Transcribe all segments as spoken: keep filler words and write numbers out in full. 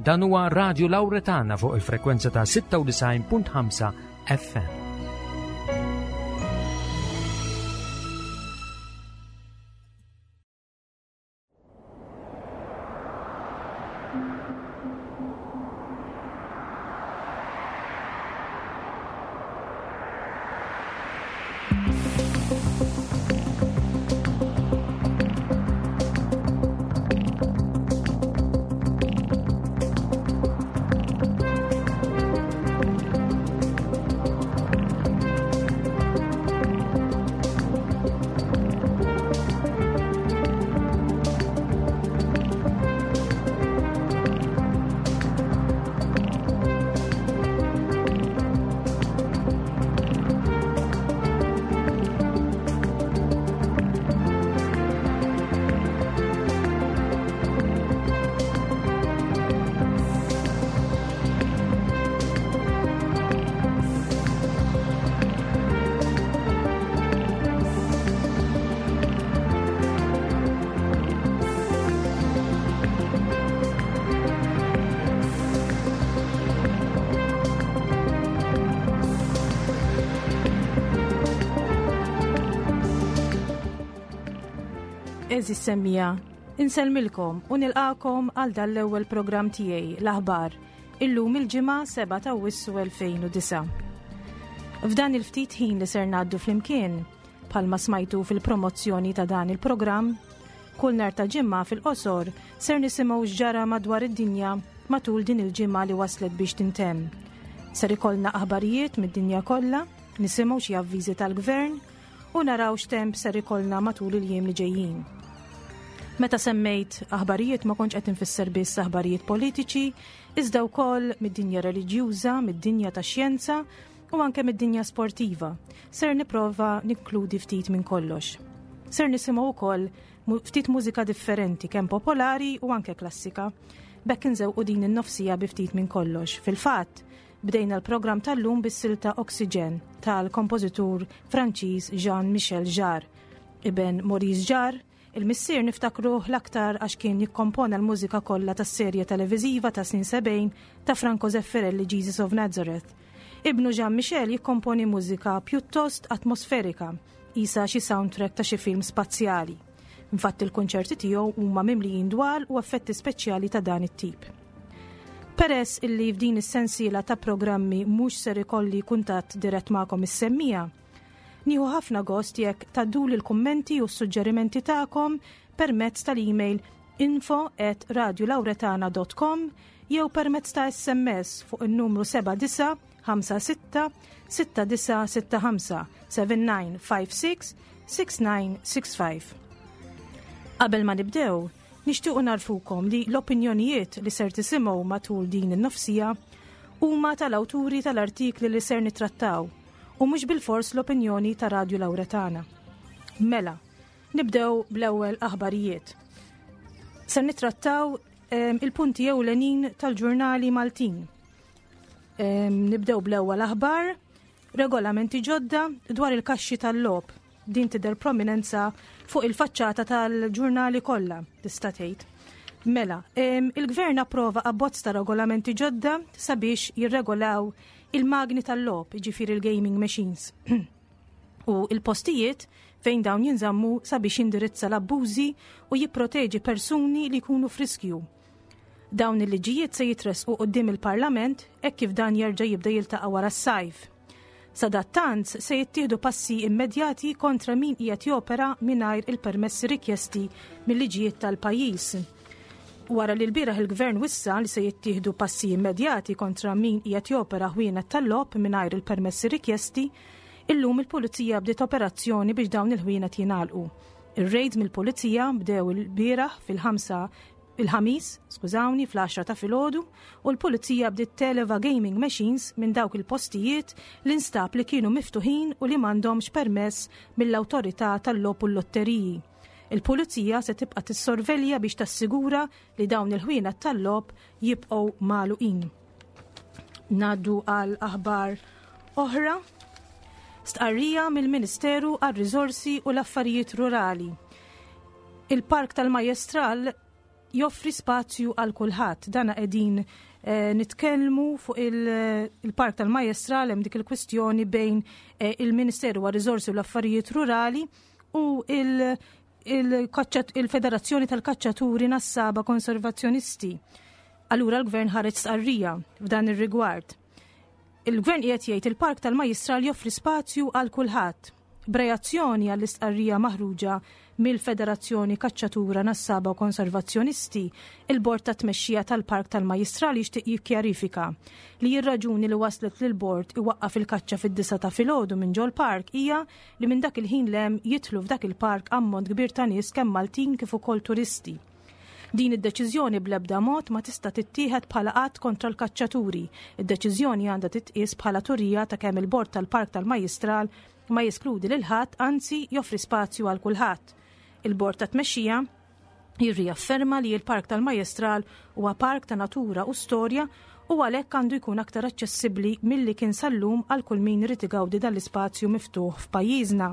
Dan huwa Radio Lauretana fuq il-frekwenza ta' sitta u disgħin punt ħamsa F M. Għeżież semmiegħa, insellmilkom u nilqagħkom għal dan l-ewwel programm tiegħi, l-aħbar, illum il-Ġimgħa sebgħa ta' Awwissu elfejn u disgħa. F'dan il-ftit ħin li ser ngħaddu flimkien, bħalma smajtu fil-promozzjoni ta' dan il-programm, kull nhar ta' Ġimgħa fil-qosor ser nisimgħu x'ġara madwar id-dinja matul din il-ġimgħa li waslet biex tintemm. Ser ikollna aħbarijiet mid-dinja kollha, nisimgħu xi avviżi tal-gvern u naraw x'temp ser ikollna matul il-jiem li ġejjin. Meta semmejt aħbarijiet, ma kontx qed infisser biss aħbarijiet politiċi, iżda wkoll mid-dinja reliġjuża, mid-dinja tax-xjenza u anke mid-dinja sportiva. Ser nipprova ninkludi ftit minn kollox. Ser nisimgħu wkoll ftit mużika differenti, kemm popolari u anke klassika. B'hekk inżewqu din in-nofs siegħa bi ftit minn kollox. Fil-fatt, bdejna l-programm tal-lum bis-silta Oxygen tal-kompożitur Franċiż Jean-Michel Jarre. Iben Maurice Jarre, il-missier niftakruh l-aktar għax kien jikkompona l-mużika kollha tas-serje televiżiva ta' snin sebgħin ta' Franco Zeffirelli, Jesus of Nazareth. Ibnu Jean Michel jikkomponi mużika pjuttost atmosferika, qisha xi soundtrack ta' xi film spazjali. Infatti il-konċerti tiegħu huma mimlijin dwal u effetti speċjali ta' dan it-tip. Peress illi f'din is-sensiela ta' programmi mhux ser ikolli kuntatt dirett magħkom is-semmiegħa, nieħu ħafna gost jekk tgħadduli l-kummenti u s-suġġerimenti tagħkom permezz tal-email info at radiolauretana dot com jew permezz ta' S M S fuq il-numru seba' disa' ħamsa sitta sitta disa' sitta ħamsa, seven nine five six six nine six five. Qabel ma nibdew, nixtiequ ngħarrfukom li l-opinjonijiet li ser tisimgħu matul din in-nofs siegħa huma tal-awturi tal-artikli li ser nitrattaw u mhux bil-fors l-opinjoni ta' Radio Lauretana. Mela, nibdew bl-ewwel aħbarijiet. Ser nitrattaw um, il-punti ewlenin tal-ġurnali Maltin. Um, nibdew bl-ewwel aħbar, regolamenti ġodda dwar il-kaxxi tal-logħob. Din tidher prominenza fuq il-faċċata tal-ġurnali kollha, tista' tgħid. Mela, il-gvern approva abbozz ta' regolamenti ġodda sabiex jirregolaw il-magni tal-logħob, ġifieri il-gaming machines, u il-postijiet fejn dawn jinżammu, sabiex jindirizza l-abbużi u jipproteġi persuni li jkunu f'riskju. Dawn il-liġijiet se jitresqu quddiem il-Parlament hekk kif dan jerġa' jibda jiltaqa' wara s-sajf. Sadattant se jittieħdu passi immedjati kontra min qiegħed jopera mingħajr il-permessi rikjesti mill-liġijiet tal-pajjiż. Wara li l-bieraħ il-gvern wissa li se jittieħdu passi immedjati kontra min qiegħed jopera ħwienet tal-logħob mingħajr il-permessi rikjesti, illum il-pulizija bdiet operazzjoni biex dawn il-ħwienet jingħalqu. Ir-raids mill-pulizija bdew il-bieraħ fil-ħamsa, il-Ħamis, skużawni, fl-għaxra ta' filgħodu u l-pulizija bdiet televa gaming machines minn dawk il-postijiet li nstab li kienu miftuħin u li m'għandhomx permess mill-awtorità tal-logħob u l-lotteriji. Il-pulizija se tibqa' tissorvelja biex tassigura li dawn il-ħwienet tal-logħob jibqgħu magħluqin. Ngħaddu għal aħbar oħra. Stqarrija mill-Ministeru għar-Riżorsi u l-Affarijiet Rurali. Il-Park tal-Majestral Joffri spazju għal kulħadd. Dana qegħdin eh, nitkellmu fuq il-Park tal-Majjistral, hemm dik il-kwistjoni bejn eh, il-Ministeru għar-Riżorsi u l-Affarijiet Rurali u il-Federazzjoni tal-Kaċċaturi Nassaba Konservazzjonisti. Allura l-Gvern ħareġ stqarrija f'dan ir-rigward. Il-Gvern qiegħed jgħid il-Park tal-Majjistral joffri spazju għal kulħadd. B'reazzjoni għall-istqarrija maħruġa mill-Federazzjoni Kaċċatura Nassaba u Konservazzjonisti, il-Bord ta' Tmexxija tal-Park tal-Majjistral jixtieq jikkjarifika li r-raġuni li waslet lil bord iwaqqaf il-kaċċa fid-disgħa ta' filgħodu minn ġol park hija li minn dak il-ħin 'l hemm jidħlu f'dak il-park ammont kbir ta' nies, kemm Maltin kif ukoll turisti. Din id-deċiżjoni bl-ebda mod ma tista' tittieħed bħala att kontra l-kaċċaturi. Id-deċiżjoni għandha titqies bħala turija ta' kemm il-bord tal-Park tal-Majjistral ma jeskludi lil ħadd, anzi joffri spazju għal kulħadd. Il-bord ta' tmexxija jirriafferma li l-Park tal-Majjistral huwa park ta' natura u storja u għalhekk għandu jkun aktar aċċessibbli milli kien sal-lum għal kull min irid igawdi dan l-ispazju miftuħ f'pajjiżna.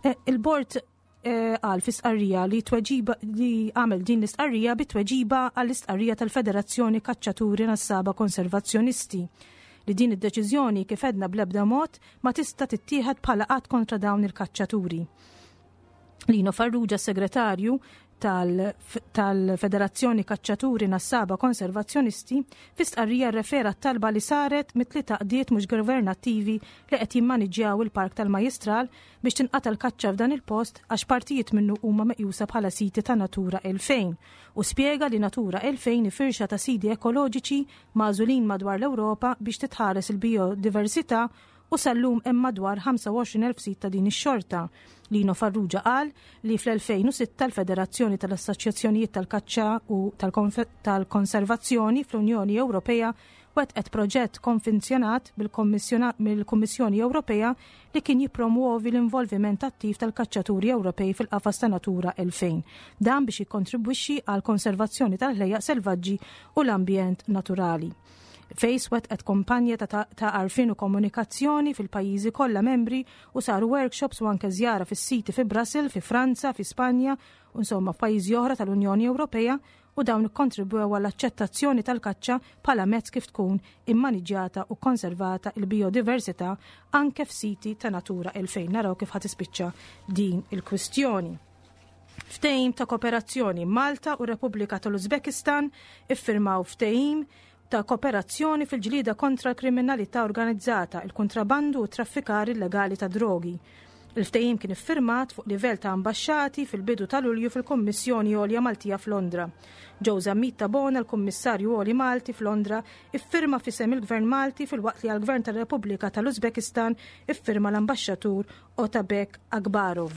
Eh, il-bord eh, qal fi stqarrija li tweġiba li għamel din l-istqarrija bi tweġiba għall-istqarrija tal-Federazzjoni Kaċċaturi Nassaba Konservazzjonisti li din id-deċiżjoni, kif għedna, bl-ebda mod ma tista' tittieħed bħala att kontra dawn il-kaċċaturi. Lino Farrugia, segretarju tal-Federazzjoni Kaċċaturi Nassaba Konservazzjonisti, fi stqarrija refera talba li saret mit-tliet għaqdiet mhux governattivi li qed jimmaniġġjaw il-Park tal-Majjistral biex tinqata l-kaċċa f'dan il-post għax partijiet minnu huma meqjusa bħala siti ta' Natura elfejn u spjega li Natura elfejn firxa ta' siti ekoloġiċi magħżulin madwar l-Ewropa biex titħares il-biodiversità u sal-lum hemm madwar ħamsa u għoxrin elf sit ta' din ix-xorta. Lino Farrugia qal li fl-elfejn u sitta l-Federazzjoni tal-Assoċjazzjonijiet tal-Kaċċa u tal-Konservazzjoni fl-Unjoni Ewropea wettqet proġett konfinzjonat mill-Kummissjoni Ewropea li kien jipromuovi l-involviment attiv tal-kaċċaturi Ewropej fil-qafas ta' Natura elfejn. Dan biex jikkontribwixxi għal konservazzjoni tal-ħlejjaq selvaġġi u l-ambjent naturali. FACE wettqet kampanja ta' għarfien u komunikazzjoni fil-pajjiżi kollha membri u saru workshops u anke żjara fis-siti fi Brussels, fi Franza, fi Spanja u insomma f'pajjiżi oħra tal-Unjoni Ewropea u dawn ikkontribwew għall-aċċettazzjoni tal-kaċċa bħala mezz kif tkun immaniġġjata u konservata il-biodiversità anke f'siti ta' Natura elfejn. Naraw kif ħa tispiċċa din il-kwistjoni. Ftehim ta' kooperazzjoni: Malta u Repubblika tal-Uzbekistan iffirmaw ftehim ta' kooperazzjoni fil-ġlida kontra l-kriminalità organizzata, il-kontrabandu u traffikar illegali ta' drogi. Il-ftehim kien iffirmat fuq livell ta' ambasċati fil-bidu ta' Lulju fil-Kommissjoni Għolja Maltija f'Londra. Joe Zammit Tabona, l-Kummissarju Għoli Malti f'Londra, iffirma f'isem il-Gvern Malti, filwaqt li għal-Gvern tar-Repubblika tal-Uzbekistan iffirma l-Ambaxxatur Otabek Akbarov.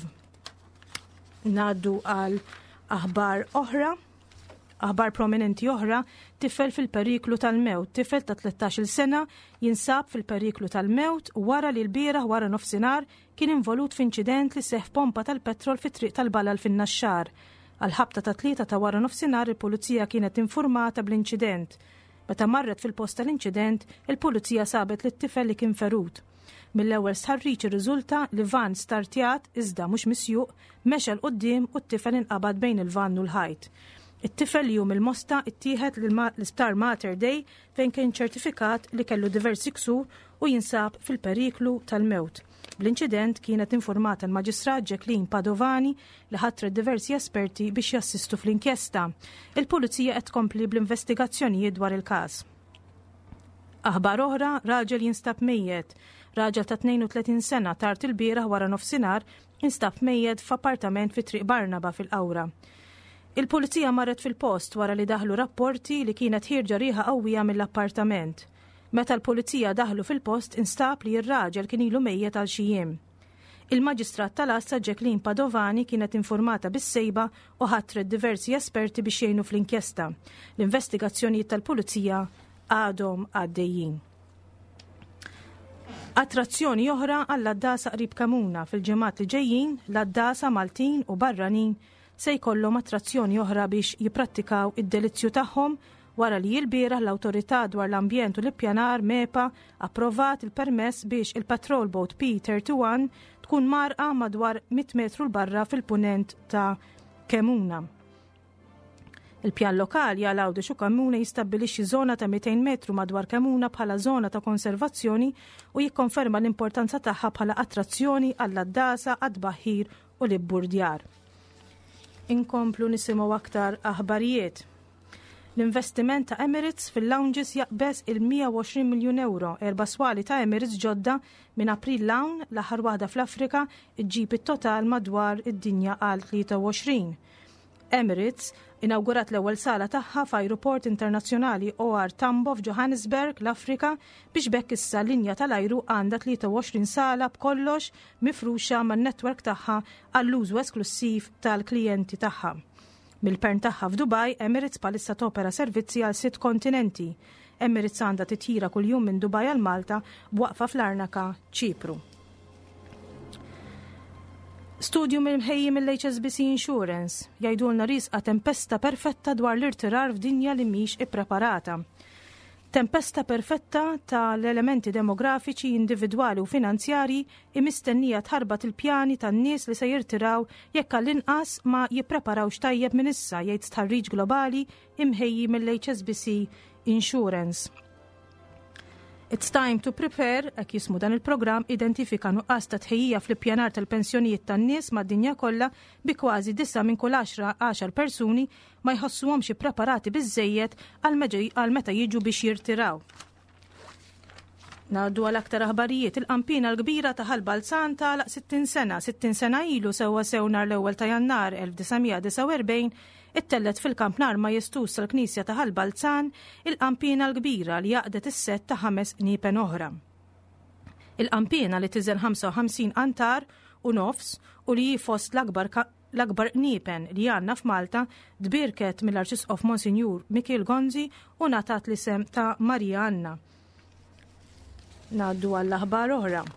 Ngħaddu għal aħbar oħra. Aħbar prominenti oħra, tifel fil-periklu tal-mewt. Tifel ta' tlettax-il sena jinsab fil-periklu tal-mewt wara li l-bieraħ wara nofsinhar kien involut f'inċident li seħ pompa tal-petrol fit-triq tal-Balal fin-Naxxar. Għal-ħabta ta' tlieta ta' wara nofsinhar il-pulizija kienet informata bl-inċident. Meta marret fil-post tal-inċident, il-pulizija sabet li t-tifel li kien ferut. Mill-ewwel stħarriġ irriżulta li van startjat iżda mhux misjuq mexa 'l quddiem u t-tifel inqabad bejn il-van u l-ħajt. It-tifel li hu mill-Mosta ittieħed l-isptar Mater Dei fejn kien ċertifikat li kellu diversi ksur u jinsab fil-periklu tal-mewt. Bl-inċident kienet informata l-Maġistrat Jacqueline Padovani li ħatret diversi esperti biex jassistu fl-inkjesta. Il-Pulizija qed tkompli bl-investigazzjonijiet dwar il-każ. Aħbar oħra, raġel jinstab mejjet. Raġel ta' tnejn u tletin sena tard il-bieraħ wara nofsinhar instab mejjet f'appartament fi Triq Barnaba fil-Qawra. Il-pulizija marret fil-post wara li daħlu rapporti li kienet ħierġa riħa qawwija mill-appartament. Meta l-pulizija daħlu fil-post, instab li r-raġel kien ilu mejjet għal xi jiem. Il-Maġistrat tal-Għassa Jacqueline Padovani kienet informata bis-sejba u ħatret diversi esperti biex jgħinu fl-inkjesta. L-investigazzjonijiet tal-pulizija għadhom għaddejjin. Attrazzjoni oħra għall-għaddasa qrib Kemmuna: fil-ġimgħat li ġejjin, l-għaddasa Maltin u barranin se jkollhom attrazzjoni oħra biex jipprattikaw id-delizzju tagħhom wara li l-bieraħ l-Awtorità dwar l-Ambjent u l-Ippjanar, MEPA, approvat il-permess biex il-Patrol Boat P thirty-one tkun mgħarrqa madwar mitt metru 'l barra fil-punent ta' Kemmuna. Il-pjan lokali għal Għawdex u Kemmuna jistabbilixxi żona ta' mitejn metru madwar Kemmuna bħala żona ta' konservazzjoni u jikkonferma l-importanza tagħha bħala attrazzjoni għall-għaddasa, għad-tbaħħir u l-ibburdjar. Inkomplu nisimgħu aktar aħbarijiet. L-investiment ta' Emirates fil-lounges jaqbeż il-mija u għoxrin miljun euro. Erba' swali ta' Emirates ġodda minn April l-hawn, l-aħħar waħda fl-Afrika, iġġib it-total madwar id-dinja għal tlieta u għoxrin. Emirates inawgurat l-ewwel sala tagħha f'Ajruport Internazzjonali O R Tambo f'Johannesburg, l-Afrika, biex bekk issa linja tal-ajru għandha tlieta u għoxrin sala b'kollox mifruxa man-netwerk tagħha għall-użu esklusiv tal-klijenti tagħha. Mill-pern tagħha f'Dubaj, Emirates palissa topera servizzi għal sitt kontinenti. Emirates għandha titjira kuljum minn Dubaj għal Malta b'waqfa fl-Arnaka, Ċipru. Studju mill-mħejji mill-H S B C Insurance jgħidulna risqa tempesta perfetta dwar l-irtirar f'dinja li mhix ippreparata. Tempesta perfetta tal-elementi demografiċi, individwali u finanzjari imistennija tħarbat il-pjani tan-nies li se jirtiraw jekk għall-inqas ma jippreparawx tajjeb minn issa, jgħid stħarriġ globali imħejji mill-H S B C Insurance. It's Time to Prepare, hekk jismu dan il-programm, identifika nuqqas ta' tħejjija fl-ippjanar tal-pensjonijiet tan-nies mad-dinja kollha bi kważi disa' minn kull għaxra għaxar persuni ma jħossuhomx ippreparati biżżejjed għal meġi-, għal meta jiġu biex jirtiraw. Ngħaddu għal aktar aħbarijiet. Il-qampina l-kbira ta' Ħal Balzan tagħlaq sittin sena. Sittin sena ilu sewwa sew nhar l-ewwel ta' Jannar elf disa' mija disa' u erbgħin ittellet fil-kampnar majestuż tal-Knisja ta' Ħal Balzan il-qampina l-kbira li jaqdet is-sett ta' ħames qniepen oħra. Il-qampina li tiżen ħamsa u ħamsin qantar u nofs u li hi fost l-akbar ka-, l-akbar qniepen li għandna f'Malta tbierket mill-Arċisqof Monsinjur Mikiel Gonzi u ngħatat l-isem ta' Marija Anna. Ngħaddu għall-aħbar oħra.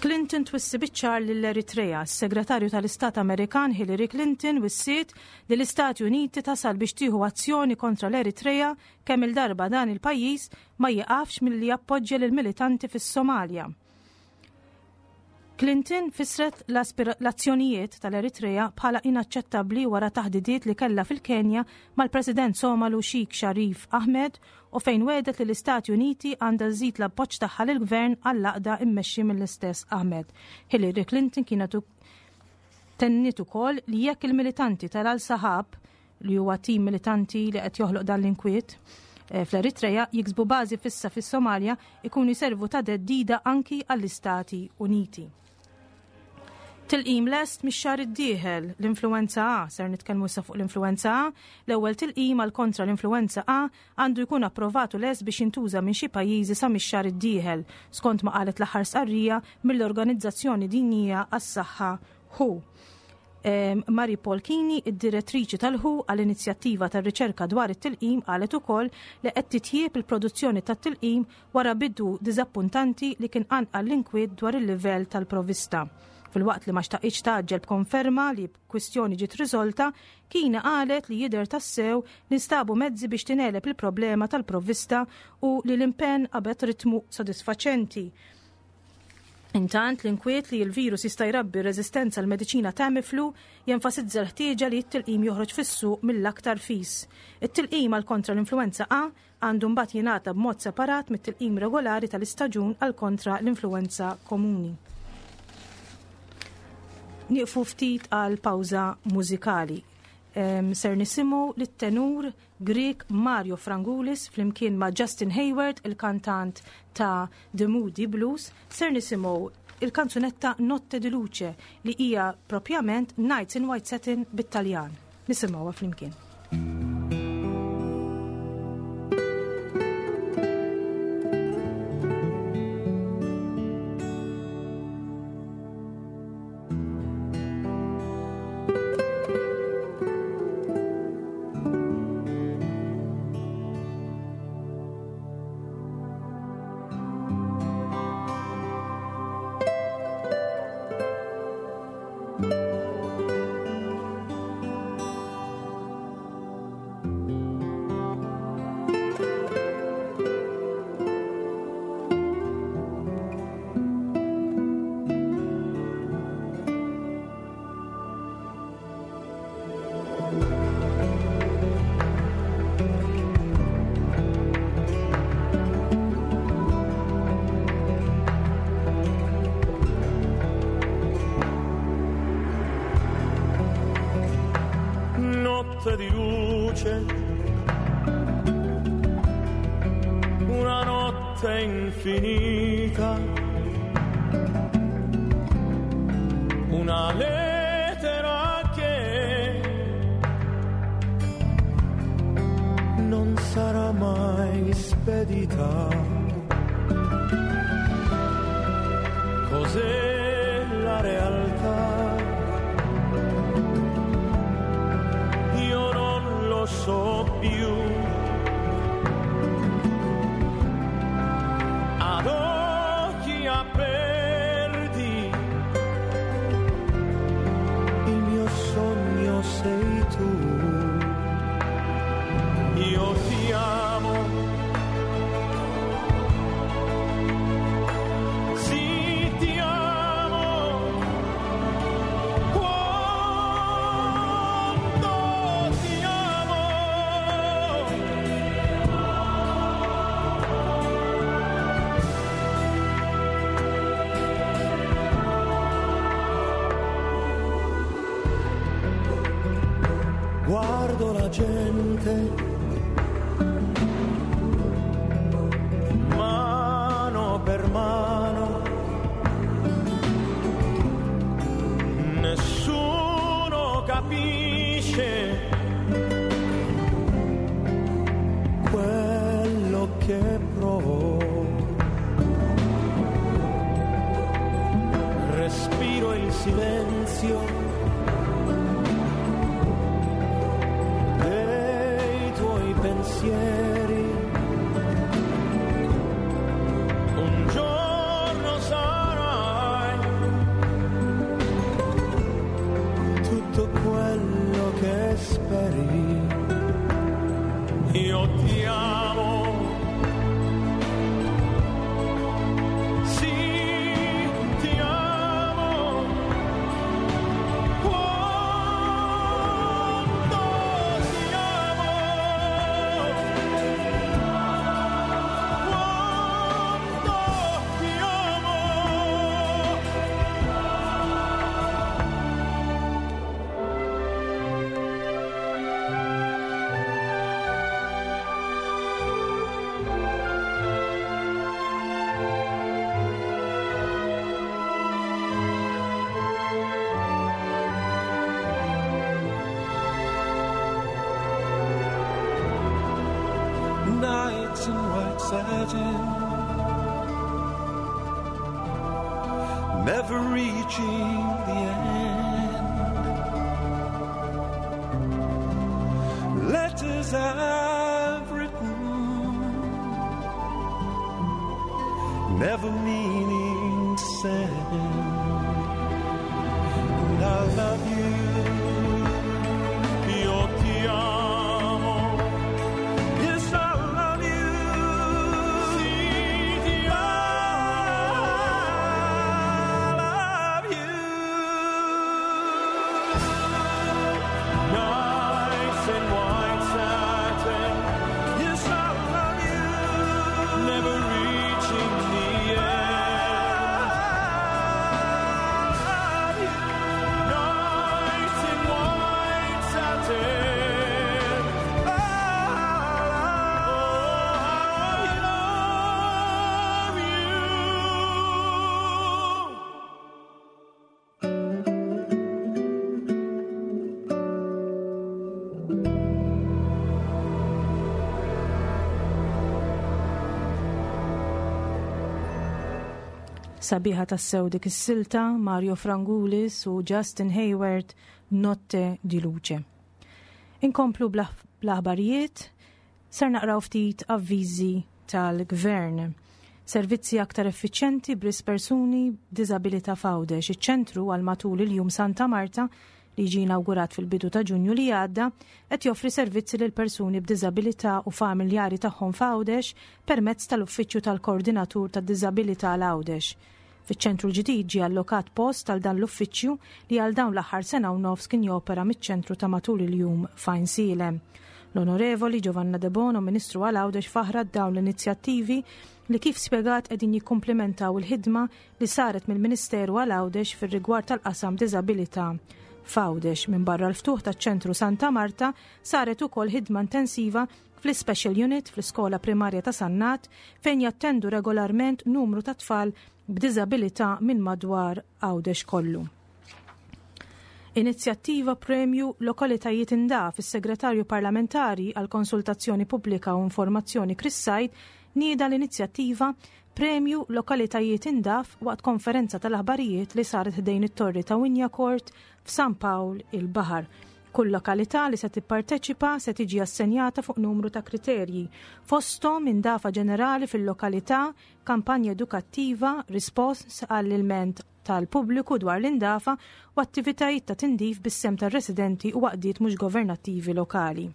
Clinton twissi biċ-ċar lill-Eritrea. S-Segretarju tal-Istat Amerikan Hillary Clinton wissiet li l-Istati Uniti tasal biex tieħu azzjoni kontra l-Eritrea kemm il-darba dan il-pajjiż ma jieqafx milli jappoġġja lill-militanti fis-Somalja. Clinton fisret l-aspira-, l-azzjonijiet tal-Eritrea bħala inaċċettabbli wara taħdidiet li kellha fil-Kenja mal-President Somalu Sheikh Sharif Ahmed u fejn wedet li l-Istati Uniti għandha żżid l-appoġġ tagħha lill-gvern għall-għaqda immexxi mill-istess Ahmed. Hillary Clinton kienet u-, tenniet ukoll li jekk il-militanti tal-Al-Sahab, li huwa tim militanti li qed joħloq dan l-inkwiet, eh, fl-Eritrea, jiksbu bażi fissa fis-Somalja, ikunu jservu ta' theddida anki għall-Istati Uniti. Tilqim lest mix-xahar id-dieħel l-influenza A, ser nitkellmu issa fuq l-influenza A, l-ewwel tilqim għal kontra l-influenza A għandu jkun approvat u lest biex jintuża minn xi pajjiżi sa mix-xahar id-dieħel, skont ma qalet l-aħħar stqarrija mill-Organizzazzjoni Dinjija għas-Saħħa W H O. Em, Mary Paul Kini, id-direttriċi tal-W H O għall-inizjattiva tar-riċerka dwar it-tilqim, qalet ukoll li qed titjieb il-produzzjoni tat-tilqim wara bidu diżappuntanti li kien qanqal l-inkwiet dwar il-livell tal-provista. Fil-waqt li ma xtaqitx taġġel b'konferma li kwistjoni ġiet riżolta, Kini qalet li jidher tassew li nstabu mezzi biex tingħeleb il-problema tal-provvista u li l-impenn qabed ritmu sodisfaċenti. Intant, l-inkwiet li l-virus jista' jrabbi reżistenza għal mediċina Tamiflu jenfasizza l-ħtieġa li t-tilqim joħroġ fis-suq mill-aktar fis. It-tilqim għal kontra l-influenza A għandu mbagħad jingħata b'mod separat mit-tilqim regolari tal-istaġun għal kontra l-influenza komuni. Nieqfu ftit għal pawża mużikali. Em, ser nisimgħu lit-tenur Grek Mario Frangulis flimkien ma' Justin Hayward, il-kantant ta' The Moody Blues, ser nisimgħu il-kanzunetta Notte di Luce li hija propjament Nights in White Satin bit-Taljan. Nisimgħuha flimkien. Thank you. luce, una notte infinita, una lettera che non sarà mai spedita. Cos'è la realtà? Io non lo so più. Ad occhi aperti, il mio sogno sei tu. Io ti amo. Sì, ti amo. Quanto ti amo. Guardo la gente, mano per mano, nessuno capisce quello che provo. Respiro il silenzio dei tuoi pensieri. Un giorno sarai tutto quello che speri. Io ti amo. Sì, ti amo. Quanto ti amo. Quanto ti amo. Nights in white satin, never reaching the end. Letters I've written, never meaning to send. And I love you. Io ti amo. Yes, I love you. Sì, ti I love you. Nights in white satin, Yes, I love you. never reaching the end. I love you. Nights in white satin. I Oh, I love you. Sabiħa tassew dik is-silta Mario Frangulis u Justin Hayward, Notte di Luce. Inkomplu bl-aħbarijiet, ser naqraw ftit avviżi tal-gvern. Servizzi aktar effiċjenti bris persuni b'diżabilità f'Għawdex. Iċ-ċentru għal matul il-jum Santa Marta li ġie inawgurat fil-bidu ta' Ġunju li għadda qed joffri servizzi lil persuni b'diżabilità u familjari tagħhom f'Għawdex permezz tal-Uffiċċju tal-Koordinatur tad-Diżabilità għal Għawdex. Fiċ-ċentru l-ġdid ġie allokat post għal dan l-uffiċċju li għal dawn l-aħħar sena u nofs kien jopera miċ-ċentru ta' matul il-jum f'Għajnsielem. L-Onorevoli Giovanna De Bono, Ministru għal Għawdex, faħrat dawn l-inizjattivi li kif spjegat qegħdin jikkumplementaw il-ħidma li saret mill-Ministeru għal Għawdex fir-rigward tal-qasam diżabilità f'Għawdex. Minbarra l-ftuħ taċ-ċentru Santa Marta saret ukoll ħidma intensiva fl-Special Unit fl-Iskola Primarja ta' Sannat fejn jattendu regolarment numru ta' tfal b'diżabilità minn madwar Għawdex kollu. Inizjattiva Premju Lokalitajiet Indaf, is-Segretarju Parlamentari għal Konsultazzjoni Pubblika u Informazzjoni Chris Said nieda l-inizjattiva Premju Lokalitajiet Indaf waqt konferenza tal-aħbarijiet li saret ħdejn it-Torri ta' Wignacourt f'San Pawl il-Baħar. Kull lokalità li se tipparteċipa se tiġi assenjata fuq numru ta' kriterji, fosthom indafa ġenerali fil-lokalità, kampanja edukattiva, rispons għall-ilment tal-pubbliku dwar l-indafa u attivitajiet ta' tindif bis-sem tar-residenti u għaqdiet mhux governattivi lokali.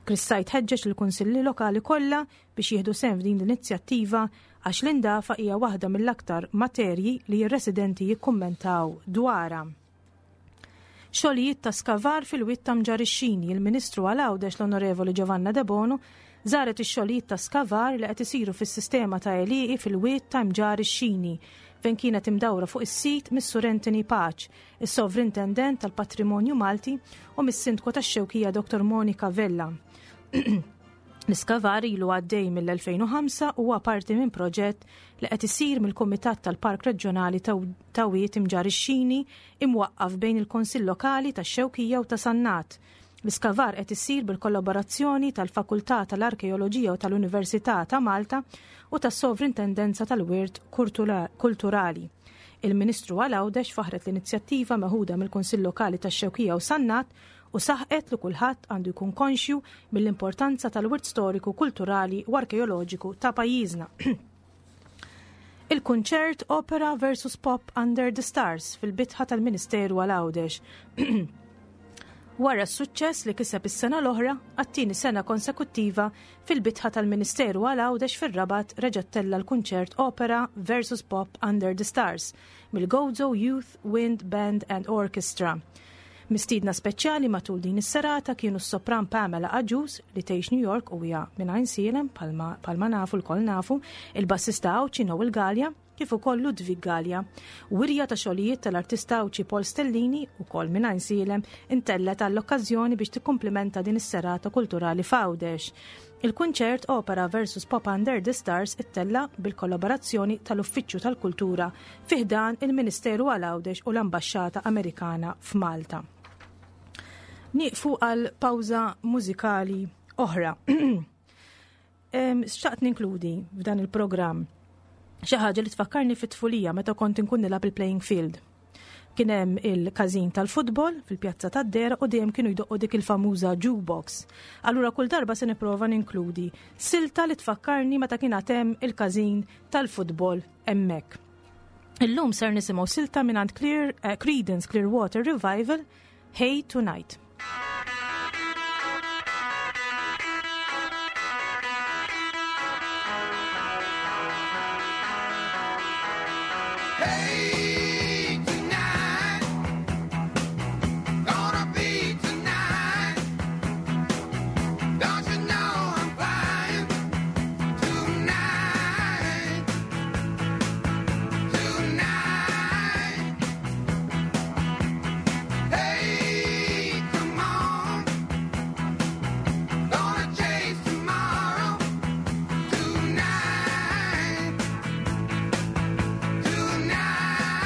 Chris Said ħeġġeġ il-kunsilli lokali kollha biex jieħdu sehem f'din l-inizjattiva għax l-indafa hija waħda mill-aktar materji li r-residenti jikkummentaw dwarha. Xogħlijiet ta' skavar fil-wied ta' Mġarr ix-Xini, il-Ministru għal Għawdex l-Onorevoli Giovanna Debono żaret ix-xogħlijiet ta' skavar li qed isiru fis-sistema ta' għelieqi fil-wied ta' Mġarr ix-Xini fejn kienet imdawra fuq is-sit mis-Sur Anthony Pace, is-Sovrintendent tal-Patrimonju Malti u mis-Sindku tax-Xewkija Dottor Monica Vella. L-iskavar ilu għaddej mill-elfejn u ħamsa u huwa parti minn proġett li qed isir mill-Kumitat tal-Park Reġjonali ta' Wied Imġarr ix-Xini imwaqqaf bejn il-Kunsill Lokali tax-Xewkija u ta' Sannat. L-iskavar qed isir bil-kollaborazzjoni tal-Fakultà tal-Arkeoloġija u tal-Università ta' Malta u tas-Sovrintendenza tal-Wirt Kulturali. Il-Ministru għal Għawdex faħret l-inizjattiva meħuda mill-Kunsill Lokali tax-Xewkija u Sannat u saħqet li kulħadd għandu jkun konxju mill-importanza tal-wirt storiku, kulturali u arkeoloġiku ta' pajjiżna. Il-kunċert Opera versus Pop Under the Stars fil-bitħa tal-Ministeru għal Għawdex. Wara s-suċċess li kiseb is-sena l-oħra, għat-tieni sena konsekuttiva fil-bitħa tal-Ministeru għal Għawdex fir-Rabat reġa' tella l-kunċert Opera versus Pop Under the Stars mill-Gozo Youth Wind Band and Orchestra. Mistiedna speċjali matul din is-serata kienu s-sopran Pamela Agius li tgħix New York u hija minn Għajnsielem palma nafu lkoll nafu, il-bassista Għawdxi Noel Gallia, kif ukoll Ludwig Gallia. Wirja ta' xogħlijiet tal-artista Għawdxi Paul Stellini ukoll minn Għajnsielem intellet għall-okkażjoni biex tikkumplimenta din is-serata kulturali f'Għawdex. Il-kunċert Opera versus Pop Under the Stars ittella bil-kollaborazzjoni tal-Uffiċċju tal-Kultura fi ħdan il-Ministeru għal Għawdex u l-Ambaxxata Amerikana f'Malta. Nieqfu għal pawża mużikali oħra. Xtaqt ninkludi f'dan il-programm xi ħaġa li tfakkarni fit-tfulija meta kont inkun nilgħab il-playing field. Kien hemm il-każin tal-futbol fil-pjazza tad-Dera u dejjem kienu jdoqqu dik il-famuża jukebox. Allura kull darba se nipprova ninkludi silta li tfakkarni meta kien hemm il-każin tal-futbol hemmhekk. Illum ser nisimgħu silta mingħand Clear, eh, Creedence Clearwater Revival, Hey Tonight. Hey, tonight, gonna be tonight. Don't you know I'm flying tonight, tonight. Hey, come on, gonna chase tomorrow tonight. Tonight.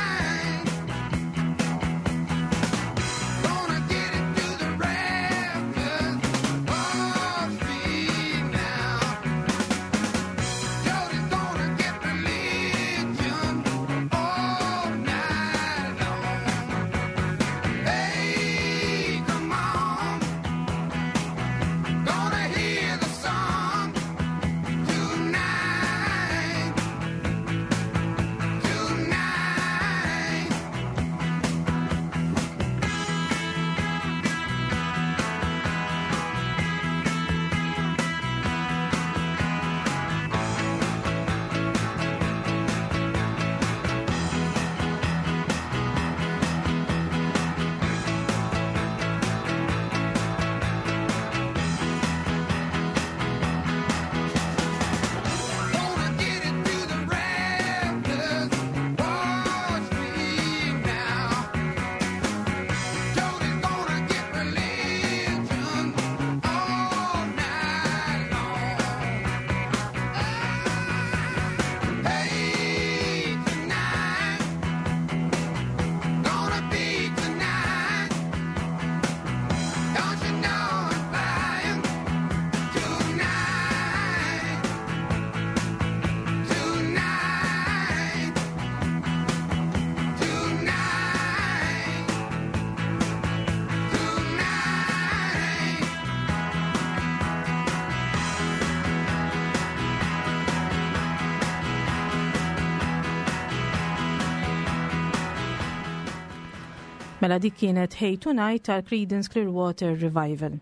Mela dik kienet Hey Tonight tal-Creedence Clearwater Revival.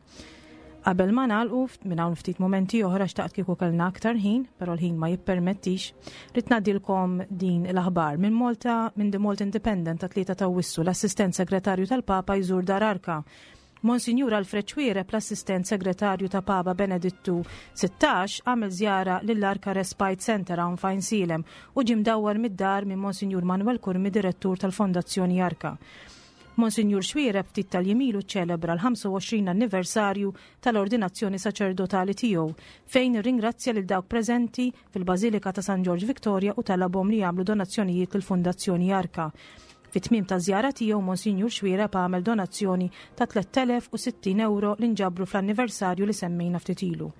Qabel ma nagħlqu minn hawn ftit momenti oħra, xtaqt kieku kellna aktar ħin, però l-ħin ma jippermettix, rrid ngħaddilkom din l-aħbar minn Malta, minn The Malta Independent ta' tlieta ta' Awwissu: l-assistent segretarju tal-Papa jżur Dar Arka. Monsinjur Alfred Xuereb, l-assistent segretarju ta' Papa Benedittu sittax, għamel żjara lill-Arka Respite Center hawn f'Għajnsielem u ġie mdawwar mid-dar minn Monsinjur Manuel Curmi, direttur tal-Fondazzjoni Arka. Monsinjur Xuereb ftit tal-jiem ilu ċelebra l-ħamsa u għoxrin anniversarju tal-ordinazzjoni saċerdotali tiegħu, fejn ringrazzja lil dawk preżenti fil-Bażilika ta' San George Victoria u talabhom li jagħmlu donazzjonijiet lill-Fondazzjoni Arka. Fit-tmiem ta' żjara tiegħu, Monsinjur Xuereb għamel donazzjoni ta' tliet elef u sittin euro li nġabru fl-anniversarju li semmejna ftit ilu.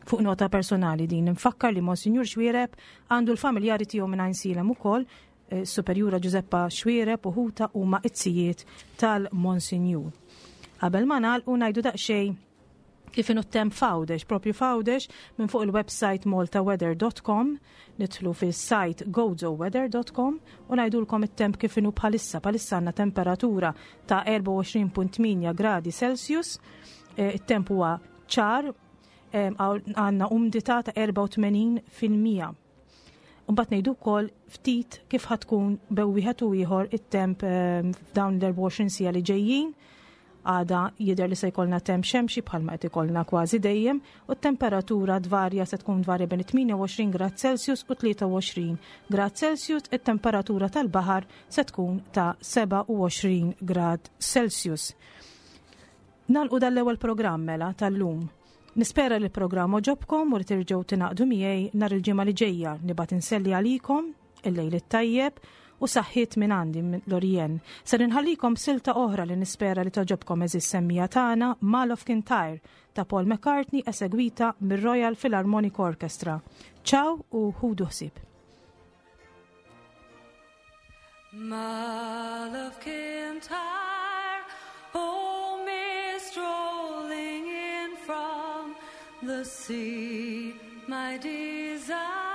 Fuq nota personali din nfakkar li Monsinjur Xuereb għandu l-familjari tiegħu minn Għajnsielem ukoll, eh, Superjura Giuseppa Xuereb u ħuta huma it-zijiet tal-Monsinjur. Qabel ma nagħlqu, ngħidu daqsxejn kif inhu temp f'Għawdex, propju f'Għawdex, minn fuq il-website maltaweather dot com, nidħlu fis-site gozoweather dot com u ngħidulkom it-temp kif inhu bħalissa. Bħalissa għandna temperatura ta' erbgħa u għoxrin punt tmienja gradi Celsius, eh, it-temp huwa ċar, eh, għandna umdità ta' erbgħa u tmenin fil-mija. Mbagħad ngħidu wkoll ftit kif ħa tkun bejn wieħed u ieħor it-temp eh, f'dawn l-erbgħa u għoxrin siegħa li ġejjin. Għada jidher li se jkollna temp xemxi bħalma qed ikollna kważi dejjem u t-temperatura tvarja, se tkun tvarja bejn tmienja u għoxrin grad Celsius u tlieta u għoxrin grad Celsius, it-temperatura tal-baħar se tkun ta' sebgħa u għoxrin grad Celsius. Nagħlqu dal-ewwel programm mela tal-lum. Nispera li l-programm għoġobkom u li terġgħu tingħaqdu miegħi nhar il-ġimgħa li ġejja. Nibgħat inselli għalikom il-lejl it-tajjeb u saħħiet minn għandi, minn Lorien. Ser inħallikom silta oħra li nispera li togħġobkom, għeżież semmiegħa tagħna, Mull of Kintyre ta' Paul McCartney, esegwita mir-Royal Philharmonic Orchestra. Ciao u ħudu ħsieb. Mull of Kintyre, oh, mist rolling in from the sea, my desire.